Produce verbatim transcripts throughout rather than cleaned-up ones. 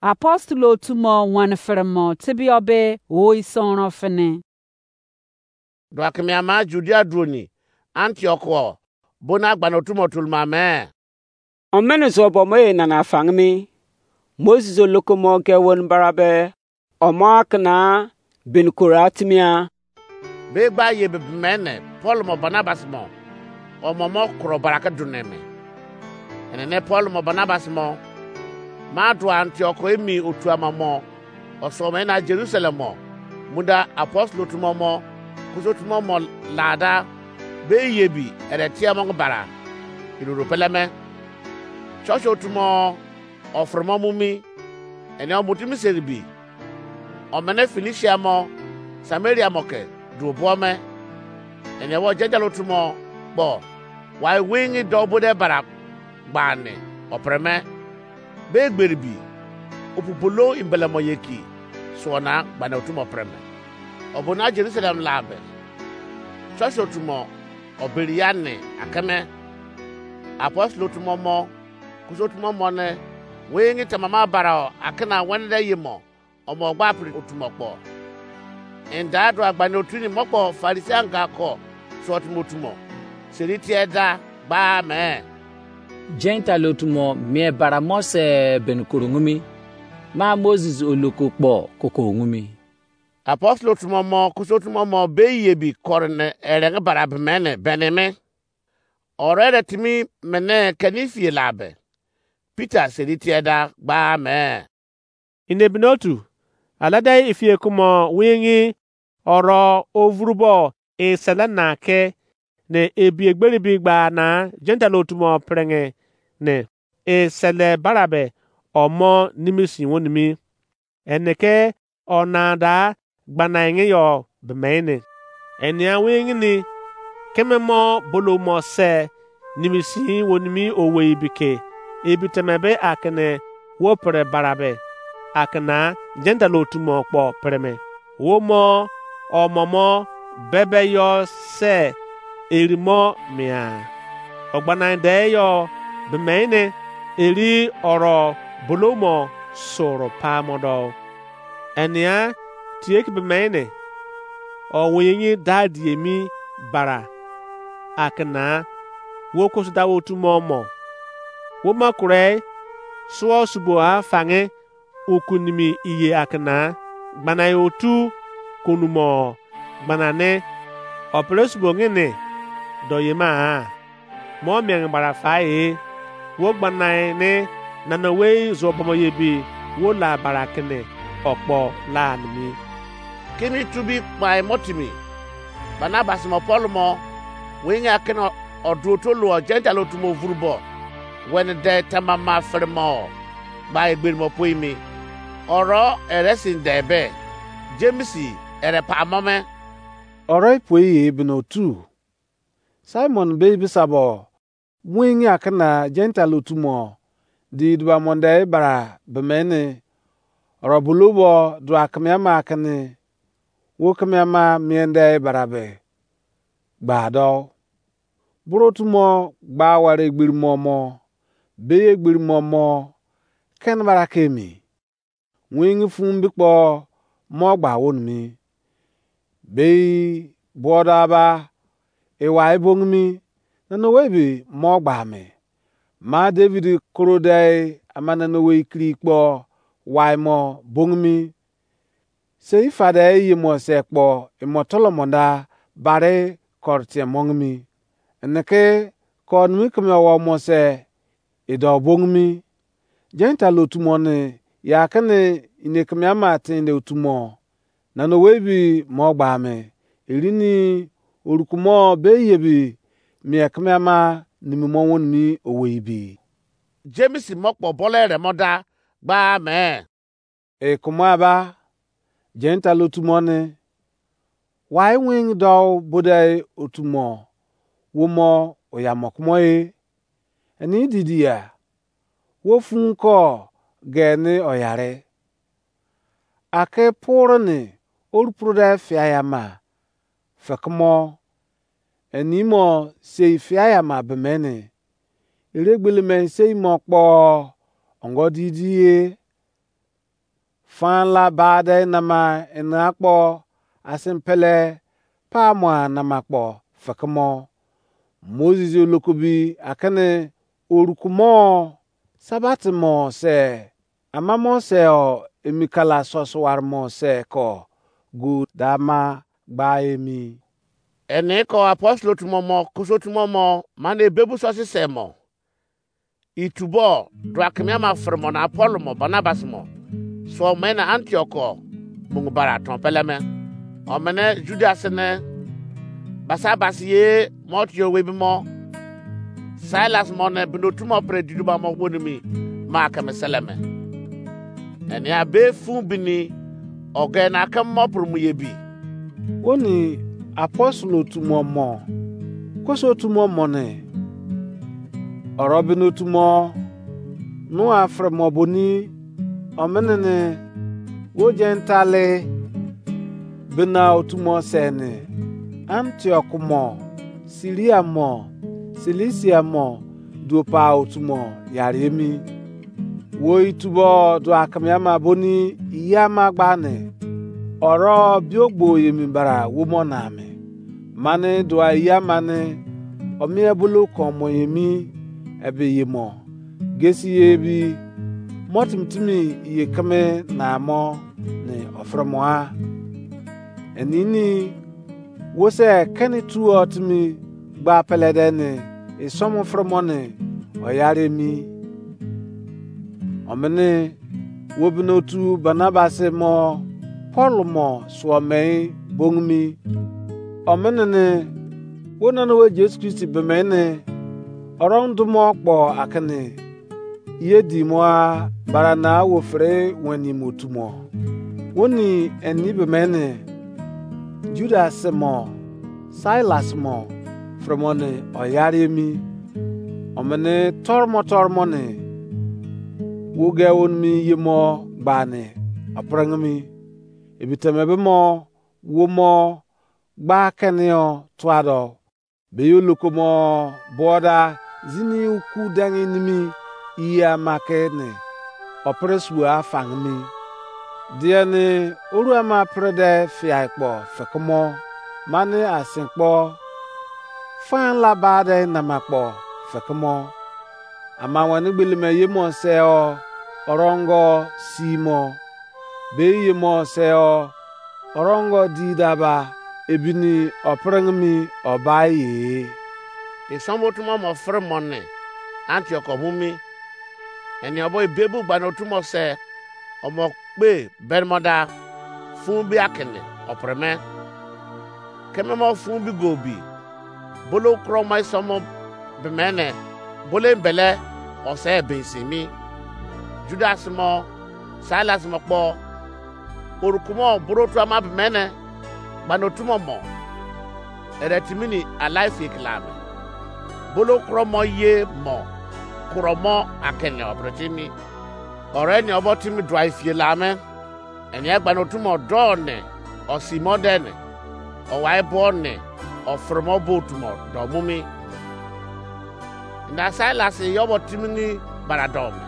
Apostle otu mo wani fere mo tebie be oi sonron fini. Dua keme ama Judea droni Antioch o, bona gbana otu mo tolma me. Omene zo bo mo e nana fangmi. Moses oloko mo ge won barabe. Omo akana bin kora timia. Be gba ye be mene Paul mo Barnabas mo, omo mo kro barake duneme. Enene Paul mo Barnabas mo, ma dua Antioch emi otu ama mo, oso mo ena Jerusalem mo, munda apostle otu mo mo, kuso otu mo mo lada, be ye bi ere tie mo bara, iroro peleme. Church otu mo, ofere mo mu mi, ene omutimi seribi, omene Phoenicia mo, Samaria mo ke duo bo me, ene wo Gentile otu mo kpo, wai wingi do bo de bara gbani, opere me. Be egberi bi, opu bolo imbele mo ye ki, suo na gbani otu mo pere me. Obo na Jerusalem la be, church otu mo, oberi ya ni akeme, apostle otu mo mo, kuso otu mo mo ne, wingi tamama bara o, akena wene de ye mo, omo gba pri otu mo kpo. Enda do agbani otu ni mo kpo Pharisee anga ko, so otu mo otu mo. Seri tie da, gba me. Gentile otu mo mie bara mo se ben koro ngumi. Ma Moses oloko kpo koko ngumi. Apostle otu mo mo, kuso otu mo mo be ye bi kore ne erenge bara be mene, bene me. Oro ere timi mene keni fie la be, Peter seri tie da gba me. Inebinotu, alada ifie kumo wingi oro ovurubo esele na ke ne ebi egberi bi gba na Gentile otu mo prenge ne esele barabe omo nimisi wonimi. Ene ke ona da gbana enge yo be mene. Enia wingi ni keme mo bolo mo se nimisi wonimi owei bike ebi teme be akene wo pre barabe akena Gentile otu mo kpo pre me. Wo mo omo mo bebe yo se eri mo mia. Ogbana de yo be mene eri oro bolo mo soro pa mo do. Enia tie ki be mene, o winyi da die mi bara akena, wo kusu da wo tu mo mo. Wo ma kure suo subo a fange ukunimi iye akena, gbana otu kunumo gbana ne, opere subo ngene do yema a. Mo miange bara fa e, wo gbanae ne nana wei zo bomo ye bi, wo la bara kene okpo la nimi. Kimi tubi kpai mo timi, Barnabas mo Paul mo, winge akene odu oto luo Gentile otu mo vuru bo, wene de tamama fere mo, gba egberi mo poi mi. Oro ere sin de be, James ere pa mo me. Oro ipoi ye bino tu. Simon be bisabo, wingi akena Gentile otu mo, di duba monde bara bemene, oro bulubo dua kemiama akene, wo kemiama miende bara be, gba do. Buru otu mo gba ware egberi mo mo, be egberi mo mo, ken bara kemi. Wingi fun bi kpo mo gba wonimi. Bei buoda ba, ewai bongimi, nana owei bi mo gba me. Ma David koro dei ama nana owei kiri kpo wai mo bongimi. Sei fade eye mo se kpo emo tolomonda bare kor tie mongimi. Eneke kor nimi keme owo mo se edo bongimi. Gentile otu mo ne, ya kene ine keme ama tinde otu mo. Nana owei bi mo gba me. Erini orukumo be ye bi mie keme ama nimi mo wonimi owei bi. James mo kpo bole re mo da gba me. E kumo aba, Gentile otu mo ne, wai wingi do bodai otu mo, wo mo oya mo kumo e. Eni didi ya, wo fun ko ge ni oyare. Ake puru ni oru puru da fia ya ma, fekemo, eni mo sei fia ya ma bemene. Ere gbele me sei mo kpo ongo didi ye. fan la ba de nama ena kpo asin pele pa mo nama kpo fekemo. Moses olokobi akene orukumo sabat mo se amamo se o emi kala sosuwar mo se ko gu dama gba emi. Eni ko apostle otu mo mo kuso otu mo mo mane ebebu sosi se mo. Itubo dua keme ama fere mo na Paul mo Barnabas mo suo me na Antioch ko mungu bara ton peleme. Omene Judas ne Barnabas ye mo tio webi mo Silas mo ne binotu mo pre diduba mo wonimi ma keme seleme. Enia be fun bini oge na keme mo puru mu ye bi. Woni apostle otu mo mo koso otu mo mo ne oro binotu mo nu afere mo boni omene ne wo Gentile bina otu mo se ne Antioch mo Syria mo Cilicia mo duopa otu mo yari emi. Wo itubo dua keme ama boni iya ama gba ne oro biogbo yemi bara wo mo na me. Mane dua iya ama ne omie bulu ko mo yemi ebe ye mo gesi ye ebi mo timi timi ye keme na mo ne ofere mo a. Enini wo se keni tuo timi gba pele de ne isomu fere mo ne oyare emi. Omene wo binotu Barnabas mo Paul mo suo mei bongimi. Omene ne wo nana we Jesu Kristi bemene oro ndumo kpo akene ye di mo a bara na wo fere weni mo tu mo. Woni eni be mene Judas mo Silas mo fere mo ne oyare emi. Omene tor mo tor mo ne wo ge wonimi ye mo gba ne oprengimi. Ebiteme be mo wo mo gba kenio tuado. Be yo lokomo boda zini uku dangi nimi iya make ne opere sua afangimi. Dieni oru ama pre de fiai kpo fekemo mane asin kpo fan la ba de nama kpo fekemo. Ama wene gbeleme ye mo se o orongo si mo be ye mo se o orongo di daba ebini oprengimi obai ye. Isomu otu mo mo fere mo ne Antioch omumi. Eni obo ebebu gbani otu mo se omo kpe bermoda fun bi akene opreme. Keme mo fun bi go bi bolo kuro mo isomu bemene bolo embele ose bensin mi. Judas mo Silas mo kpo orukumo boro otu ama bemene gbani otu mo mo ere timini alai fie kila me. Bolo kuro mo ye mo kuro mo akene obre timi. Ore ni obo timi duai fie la me. Eni agbani otu mo do ne osi mo de ne owai bo ne ofere mo bo otu mo do mu mi. Na Silas yobo timini bara do me.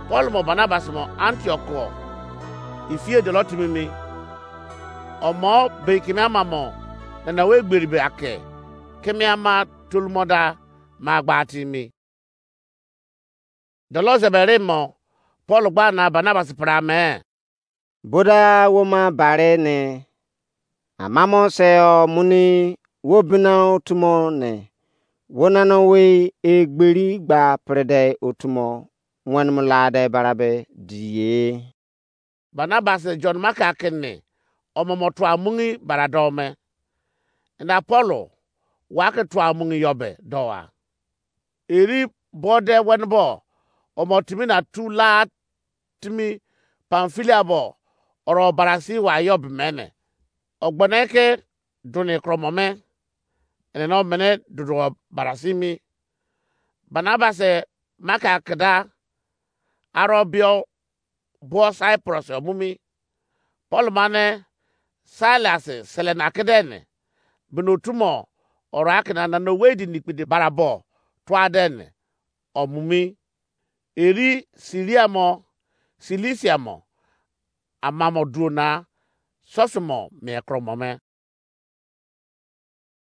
Paul mo Barnabas mo Antioch ko ifie dolo timimi. Omo be keme ama mo nana we gberi be ake keme ama tolumo da ma gba timi. Dolo zebe re mo Paul gba na Barnabas pra me. Boda wo ma bare ne amamo se o muni wo bina otumo ne wo nana we egberi gba prede otumo wen mu lade barabe diye. Barnabas John Mark akene omomo tua mungi bara do me. Ina Paul wa ke tua mungi yobe do a. Eri bode wenbo omo timi na tu la timi Pamfilia bo oro barasi wa yo bimene. Ogbone ke duni kromo me. Ene no mene dudu barasi mi. Barnabas Mark akeda aro bio bo Cyprus omumi. Paul mane Silas sele na kedene bino tumo oro akena na no wedi nikpidi barabo tuadene omumi. Eri Siria mo Silisia mo ama mo duo na, sọsọ mo mien koro mo me.